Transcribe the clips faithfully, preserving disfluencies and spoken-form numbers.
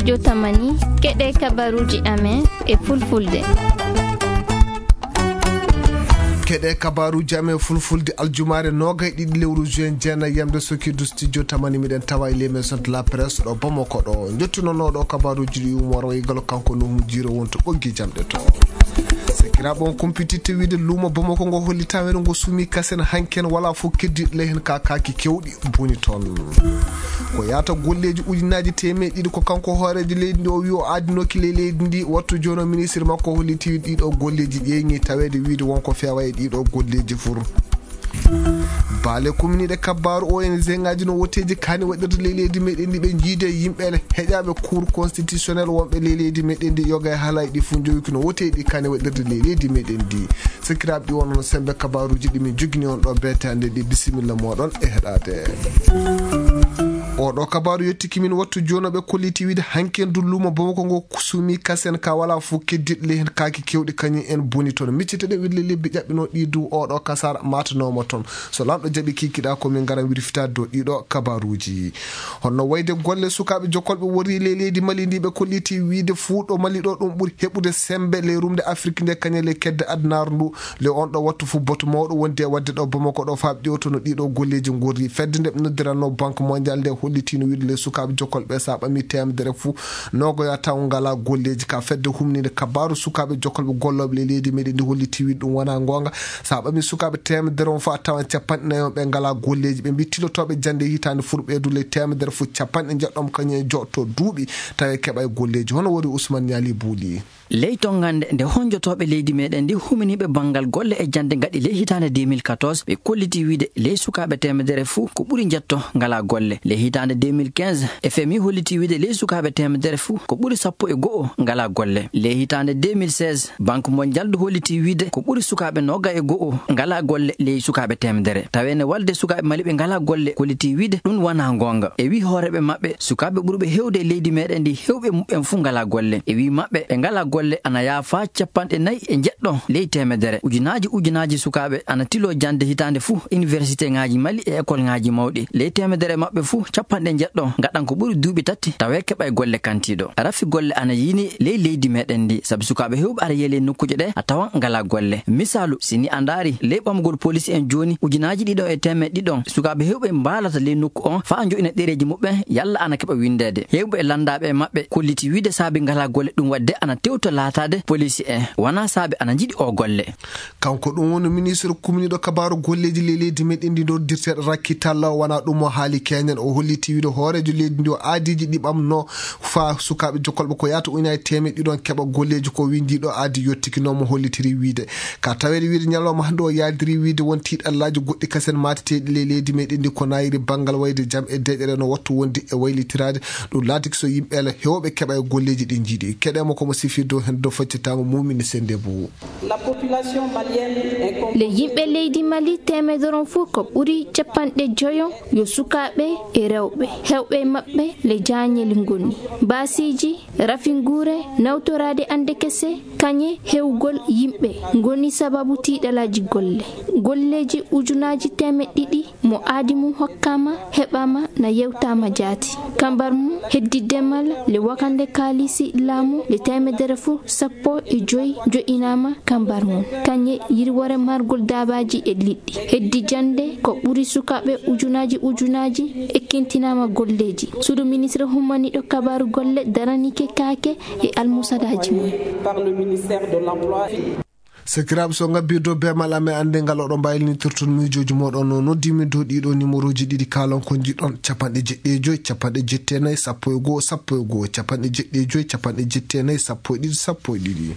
Jotamani, keɗe kabaruuji amen e fulfulde. Keɗe kabaruuji amen fulfulde aljumaare noogay ɗiɗi lewru juin jeenay yamde sokidu studio tamani miɗen tawa e les maisons de la presse ɗo Bamako ɗo. Njottunonooɗo kabaruuji ɗi umoro e galo kanko Nuhu Jiro wonto ɓoggi jamɗe to. Sekiraaɓe on kumpititte wiide luumo Bamako ngo holli taweede ngo sumi kasen hanken wala fof keddiɗo ley hen ka kaaki kewɗi boni toon. Ko yaata golleeji ujunaaji teemeɗe ɗiɗi ko kanko hooreejo leydi ndi o wi o aadinooki ley leydi ndi wattu jooni o ministre makko holliti ɗiɗo golleeji ƴeeŋi taweede wiide wonko feewa e ɗiɗo golleeji fur. Baale kumniiɗe kabbaaru O N G ŋaaji no woteeji kaani waɗirde ley leydi meɗen ndi ɓe jiide yimɓe heƴaaɓe cour constitutionnel wonɓe ley leydi meɗen ndi yoga e haalaaji ɗi fof njowiki no woteeɗi kaani waɗirde ley leydi meɗen ndi. Sakiraaɓe ɗi wonno sembe kabaruuji ɗi min jogini on ɗo beetaande ɗi bisimilla mooɗon e heɗaade. Oɗo kabaru yettiki min wattu jooni ɓe kolliti wiide hanken du luumo Bamako ngo sumi kasen ka wala fof keddiɗo ley hen kaaki kewɗi kañum en boni toon. Miccite ɗe wille lebbi ƴaɓɓino ɗi du oɗo kasar matanooma toon. So lanɗo jaɓi kikiɗa ko min ngaran wirfitaade dow ɗiɗo kabaruuji. Honno wayde golle sukaaɓe jokolɓe worri ley leydi Mali ndi ɓe kolliti wiide fuu ɗo Mali ɗo ɗum ɓuri heɓude sembe ley rumde Afrik nde kañum ley kedde adunaaru ndu. Le on ɗo wattu fof boto mawɗo wondi e waɗde ɗo Bamako ɗo faaɓ ƴewtono ɗiɗo golleeji ngorri. Fedde nde ɓe noddiranno Banque Mondiale nde hollitino wiide le sukaaɓe jokolɓe sa ɓami teemedere fof nogoya taw ngala golleeji ka fedde humninde kabaru sukaaɓe jokolɓe gollooɓe le leydi meɗen ndi holliti wiide ɗum wona goonga. Sa ɓami sukaaɓe teemedere on fof a tawan capanɗe nayi on ɓe ngala golleeji ɓe mbi tilotooɓe jannde hitaande furɓeedu le teemedere fof capanɗe njeɗɗon kañum e joɗto duuɓi tawi keɓa e golleeji hono wori Ousmane Niali Bouli. Ley tongannde nde honjotooɓe leydi meɗen ndi huminiiɓe banngal golle e jannde ngaɗi ley hitaande deux mille quatorze ɓe kolliti wiide ley sukaaɓe teemedere fuu ko ɓuri njetto ngala golle. Ley hitaande deux mille quinze F M I holliti wiide ley sukaaɓe teemedere fuu ko ɓuri sappo e go'o ngala golle. Ley hitaande deux mille seize Banque Mondiale du holliti wiide ko ɓuri sukaaɓe noga e go'o ngala golle ley sukaaɓe teemedere. Taweene walde sukaaɓe Mali ɓe ngala golle kolliti wiide ɗum wona goonga. E wi hooreeɓe maɓɓe sukaaɓe ɓurɓe hewde e leydi meɗen ndi hewɓe muɓɓen fuu ngala golle. E wi maɓɓe ɓe ngala golle ana yaafa capanɗe nayi e njeɗɗo ley teemedere. Ujunaaji ujunaaji sukaaɓe ana tilo jannde hitaande fuu université ŋaaji Mali e école ŋaaji mawɗi. Ley teemedere maɓɓe fuu capanɗe njeɗɗo ngaɗan ko ɓuri duuɓi tati tawe keɓa e golle kantiiɗo. Rafi golle ana yiini ley leydi meɗen ndi sabu sukaaɓe hewɓe ara yeele nokkuuje ɗe a tawan ngala golle. Misaalu, si ni a ndaari ley ɓamugol police en jooni ujunaaji ɗiɗon e teemeɗe ɗiɗon sukaaɓe hewɓe mbaalata ley nokku on faa njo'ina ɗereeji muɓɓen yalla ana keɓa winndeede. Hewɓe e lanndaaɓe e maɓɓe kolliti wiide saabi ngala golle ɗum waɗde ana tewta laataade police en wona saabi ana njiɗi o golle. Kanko ɗum woni ministre kumniiɗo kabaaru golleeji ley leydi meɗen ndi noddirteeɗo Rakki Talla o wona ɗum o haali keñen o holliti wiide hooreejo leydi ndi o aadiiji ɗi ɓamno faa sukaaɓe jokolɓe ko yahata ujunaaji teemeɗe ɗiɗon keɓa golleeji ko windiiɗo aadi yottikino mo hollitiri wiide ka taweede wiide ñalawma hannde o yaadiri wiide won tiiɗallaaji goɗɗi kasen maateteeɗi ley leydi meɗen ndi ko nayiri banngal wayde jam e deeƴere no wattu wonde e waylitiraade ɗum laatiki so yimɓe ala hewɓe keɓa e golleeji ɗi njiɗi keɗe mo komo sifirde o heen dow faccitaango mumini sende bo. La population malienne est com- Le yimɓe leydi Mali teemedoron fof ko ɓuri capanɗe joyo yo sukaaɓe e rewɓe hewɓe maɓɓe le jaañeli ngoni baasiiji rafinguure nawtoraade annde kese kañe hewgol yimɓe ngoni sababu tiiɗalaaji golle. Golleeji ujunaaji teemeɗe ɗiɗi mo aadi mum hokkaama heɓaama na yewtaama jaati. Kambar mum heddi demal le wakande kaalisi laamu le teemedere fof sappo e joyi jo'inaama kambar mum kañe yirwore margol daabaaji e liɗɗi heddi jannde ko ɓuri sukaaɓe ujunaaji ujunaaji ekkintinaama golleeji. Suudu ministre hummaniiɗo kabaaru golle daranike kaake e almusadaaji mum. Par le ministère de l'emploi. Sakiraaɓe so ngabbii dow beemal amen annde ngal oɗo mbaylinitirton miijooji mooɗon no noddimin dow ɗiɗo numéroji ɗiɗi kaalon ko njiɗon capanɗe jeɗɗi e joyi capanɗe jetti e nayi sappo e goo sappo e goo capanɗe jeɗɗi e joyi capanɗe jetti e nayi sappo e ɗiɗi sappo e ɗiɗi.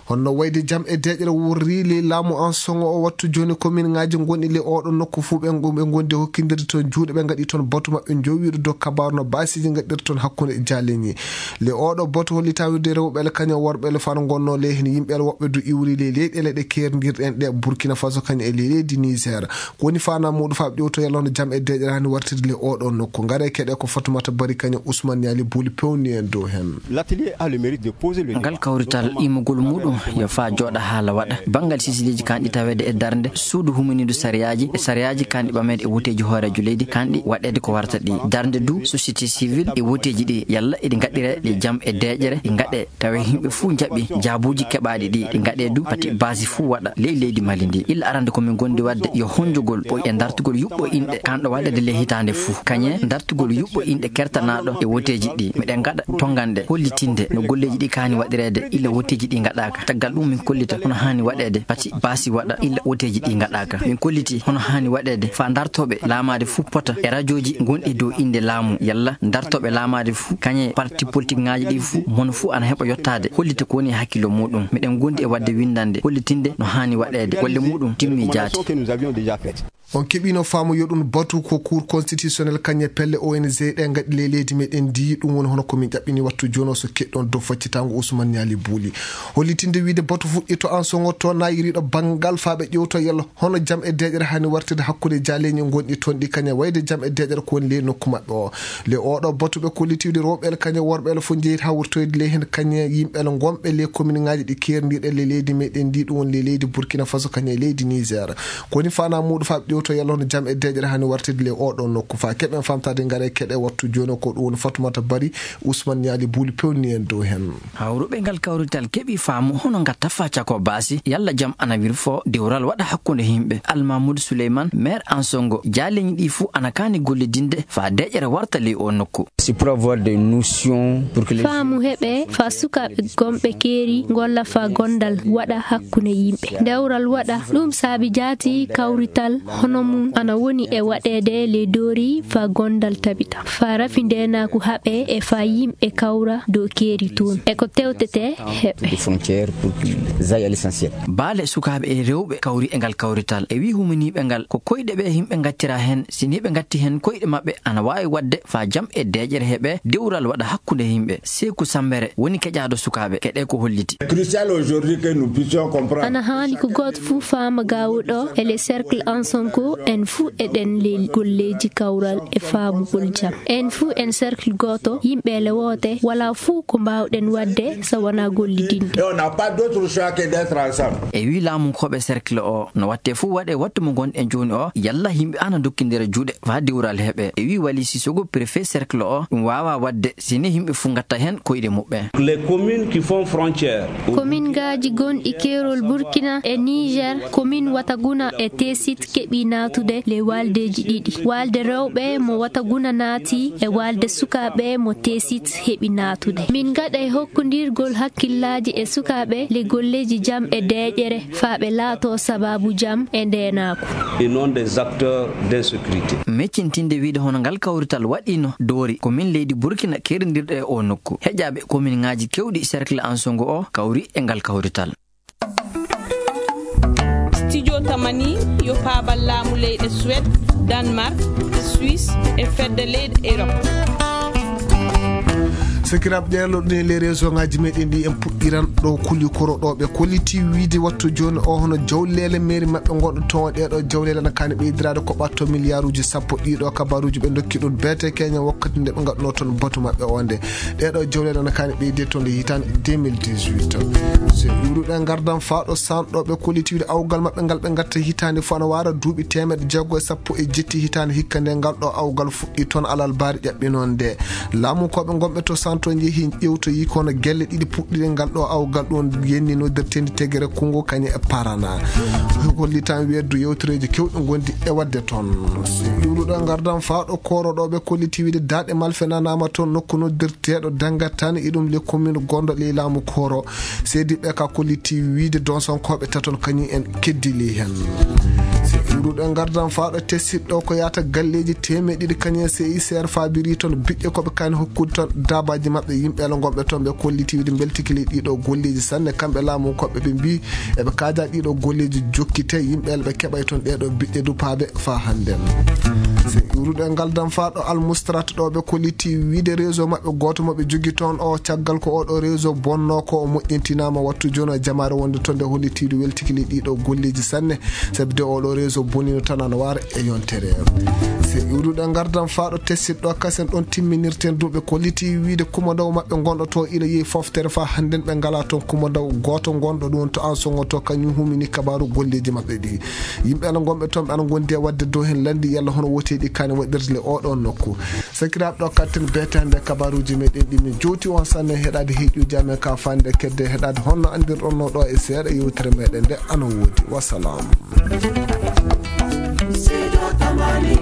Honno wayde jam e deeƴre wurri ley laamu an soŋo o wattu jooni komin ŋaaji ngonɗi ley oɗo nokku fuu ɓe ɓe ngondi hokkindirde toon juuɗe ɓe ngaɗi toon batu maɓɓe njowiiɗo dow kabaaru no baasiiji ngaɗirton hakkunde jaaleñi. Le oɗo boto hollitaa wiide rewɓe ele kañum worɓe ele fano ngonno ley heen yimɓe ele woɓɓe du iwri ley leyɗeele ɗe keerndirɗen ɗe Burkina Faso kañum e ley leydi Niger. Ko woni faanaa muuɗum faa ɓe ƴewto yalla hono jam e deeƴere hani wartirde le oɗo nokku. Ngare keɗe ko Fatumata Bari kañum Ousmane Niali Buli pewni en dow heen. L'atelier a le mérite de poser le ngal kawrital imugol muuɗum Yo faa jooɗa haala waɗa. Banngal sisiliiji kanɗi taweede e darnde suudu huminiidu sariyaaji e sariyaaji kanɗi ɓameede e woteeji hooreejo leydi kanɗi waɗeede ko warata ɗi. Darnde du société civile e woteeji ɗi yalla eɗi ngaɗɗire ɗi jam e deeƴere ɗi ngaɗe tawa yimɓe fuu njaɓi jaabuuji keɓaaɗi ɗi ɗi ngaɗe du pati baasi fuu waɗa ley leydi Mali ndi. Illa arande ko min gondi waɗde yo honjogol ɓoy e dartugol yuɓɓo inɗe kanɗo waɗeede ley hitaande fuu. Kañe dartugol yuɓɓo inɗe kertanaaɗo e woteeji ɗi. Miɗen ngaɗa tonngande hollitinde no golleeji ɗi kaani waɗireede illa woteeji ɗi ngaɗaaka. Caggal ɗum min kollita hono haani waɗeede pati baasi waɗa illa woteeji ɗi ngaɗaaka. Min kolliti hono haani waɗeede faa dartooɓe laamaade fuu pota e rajooji gonɗi dow innde laamu yalla dartooɓe laamaade fuu kañe parti politikiŋaaji ɗi fuu mono fuu ana heɓa yottaade hollita ko woni e hakkillo muuɗum. Miɗen gondi e waɗde winndannde hollitinde no haani waɗeede golle muuɗum timmi jaati. On keɓino faamu yo ɗum batu ko Cour constitutionnelle kañe pelle O N G ɗe ngaɗi ley leydi meɗen ndi, ɗum woni hono ko min ƴaɓɓini wattu jono so keɗɗon dow faccitaango Ousmane Niali Bouli. Hollitinde wiide batu fuɗɗi to an songo to nayiriɗo banngal faa ɓe ƴewto yalla hono jam e deeƴere hani wartide hakkunde jaaleeñi gonɗi toon ɗi kañe wayde jam e deeƴere ko woni ley nokku maɓɓe o. Le oɗo batu ɓe kollitiwde rewɓe el kañe worɓe el fof njeyit hawritoyde ley heen kañe yimɓe el gonɓe ley commune ŋaaji ɗi keerndiiɗe ley leydi meɗen ndi, ɗum woni ley leydi Burkina Faso kañe leydi Niger. Ko woni fana muuɗum faa ɓe ƴewto yalla hono jam e deeƴere hani wartide ley oɗo nokku faa keɓen famtade ngare keɗe wattu jooni ko ɗum woni Fatoumata Bari, Ousmane Niali Bouli pewni en dow heen. Hawruɓe ngal kawrital keɓi faamu hono ngatta faa cako baasi yalla jam ana wirfo dewral waɗa hakkunde yimɓe. Almamoudou Souleymane, maire Ansongo, jaaleeñi ɗi fuu ana kaani gollidinde faa deeƴere warta ley o nokku. C'est pour avoir des notions pour que les Faamu heɓe faa sukaaɓe gonɓe keeri ngolla faa gondal waɗa hakkunde yimɓe. Dewral waɗa ɗum saabi jaati kawrital hono mum ana woni e waɗeede ley doori faa gondal tabita. Faa rafi ndeenaaku haɓe e faa yimɓe kawra dow keeri toon. E ko tewtete heɓe. Des frontières pour qu'ils aillent à l'essentiel. Baale sukaaɓe e rewɓe kawri e ngal kawrital. E wii huminiiɓe ngal ko koyɗe ɓe yimɓe ngattira heen. Si nii ɓe ngatti heen koyɗe maɓɓe ana waawi waɗde faa jam e deeƴere heɓe dewral waɗa hakkunde yimɓe. Seeku Sambere woni keƴaaɗo sukaaɓe. Keɗe ko holliti. Crucial aujourd'hui que nous puissions comprendre. Ana haani ko gooto fuu faama gaawuɗo e le cercle Ansongo en fuu eɗen ley golleeji kawral e faamugol jam. En fuu en cercle gooto, yimɓe le woote, walaa fuu ko mbaawɗen waɗde so wonaa gollidinde. Et on n'a pas d'autre choix que d'être ensemble. E wii laamu koɓe cercle o no watte fuu waɗe wattu mo ngonɗen jooni o yalla yimɓe ana dokkindira juuɗe faa dewral heɓe. E wii Wali Sissoko préfet cercle o ɗum waawaa waɗde si nii yimɓe fuu ngatta heen koyɗe muɓɓen. Les communes qui font frontière. Komin ngaaji gonɗi keerol Burkina e Niger, komin Wataguna e Tesit keɓi naatude le waaldeeji ɗiɗi. Waalde rewɓe mo Wataguna naati e waalde sukaaɓe mo Tesit heɓi naatude. Min ngaɗa e hokkondirgol hakkillaaji e sukaaɓe le golleeji jam e deeƴere faa ɓe laato sabaabu jam e ndeenaaku. Et non des acteurs d'insécurité. Meccintinde wiide hono ngal kawrital waɗiino doori ko min leydi Burkina keerindirɗo e o nokku. Heƴaaɓe komin ŋaaji kewɗi cercle Ansongo o kawri e ngal kawrital. Studio Tamani yo paabal laamu leyɗe Suède, Danemark, Suisse e fedde leyɗe Europe. Sakiraaɓe ƴeerlo ɗum e les réseau ŋaaji meɗen ɗi en puɗɗiran ɗo kuli koro ɗo ɓe kolliti wiide wattu jooni o hono jawleele mairie maɓɓe gonɗo toon ɗeɗo jawleele ana kaani ɓeydiraade ko ɓatto milliarduji sappo ɗiɗo kabaruji ɓe dokki ɗum B T Kenya wakkati nde ɓe ngaɗuno toon batu maɓɓe o nde. Ɗeɗo jawleele ana kaani ɓeyde toon nde hitaande deux mille dix-huit. So iwruɗe ngardan faa ɗo sanɗo ɓe kolliti wiide awgal maɓɓe ngal ɓe ngatta hitaande fof ana waara duuɓi teemeɗe jeego e sappo e jetti hitaande hikka nde ngal ɗo awgal fuɗɗi toon alal baari ƴaɓɓinoon nde. Laamu koɓe gonɓe to santo njehi ƴewtoyi kono gelle ɗiɗi puɗɗiɗe ngal ɗo awgal ɗon yenni noddirtendi tegere Kongo kañe e Parana. Hollitan weddu yewtereeji kewɗi gondi e waɗde toon. Iwruɗo ngardan faa ɗo koro ɗo ɓe kolliti wiide daaɗe malfe nanaama toon nokku noddirteeɗo Dangatan e ɗum le commune gonɗo ley laamu koro. Seediɓɓe ka kolliti wiide donsonkooɓe taton kañum en keddili heen. Iwruɗo ngardan faa ɗo tesiɗɗo ko yaata galleeji teemeɗe ɗiɗi kañum en C I C R faabiri toon biɗɗe koɓe kaani hokkude toon daabaaji maɓɓe yimɓe ala gonɓe toon ɓe kolliti wiide mbeltiki ley ɗiɗo golleeji sanne kamɓe laamu koɓɓe ɓe mbii eɓe kaaja ɗiɗo golleeji jokkite yimɓe ala ɓe keɓay toon ɗeɗo biɗɗe dupaaɓe faa hannden. Iwruɗo ngal dam faa ɗo almustrat ɗo ɓe kolliti wiide réseau maɓɓe gooto mo ɓe jogi toon o caggal ko oɗo réseau bonno ko o moƴƴintinaama wattu jooni o jamaare wonde toon nde hollitiiɗo weltiki ley ɗiɗo golleeji sanne sabi de oɗo réseau Bonino tan ana wara e yontere. Se iwruɗen ngardan faaɗo tessiɗo kasen ɗon timminirten duuɓe ko liti wiide kumandaw maɓɓe gonɗo to ila yehi foftere fa hannden ɓe ngala toon kumandaw gooto gonɗo ɗum to an songo to kañum humini kabaru golleji maɓɓe ɗi. Yimɓe ana gonɓe toon ɓe ana gondi e wadde dow hen landi yalla hono woteɗi kane waɗirde le oɗon nokku. Sakiraaɓe ɗo katten betande kabaruji meɗen ɗi min jowti on sanne heɗade heƴuji amen ka fande kedde heɗade honno andirɗon no ɗo e seeɗa yewtere meɗen nde ana wodi. Wassalam. Sido Tamani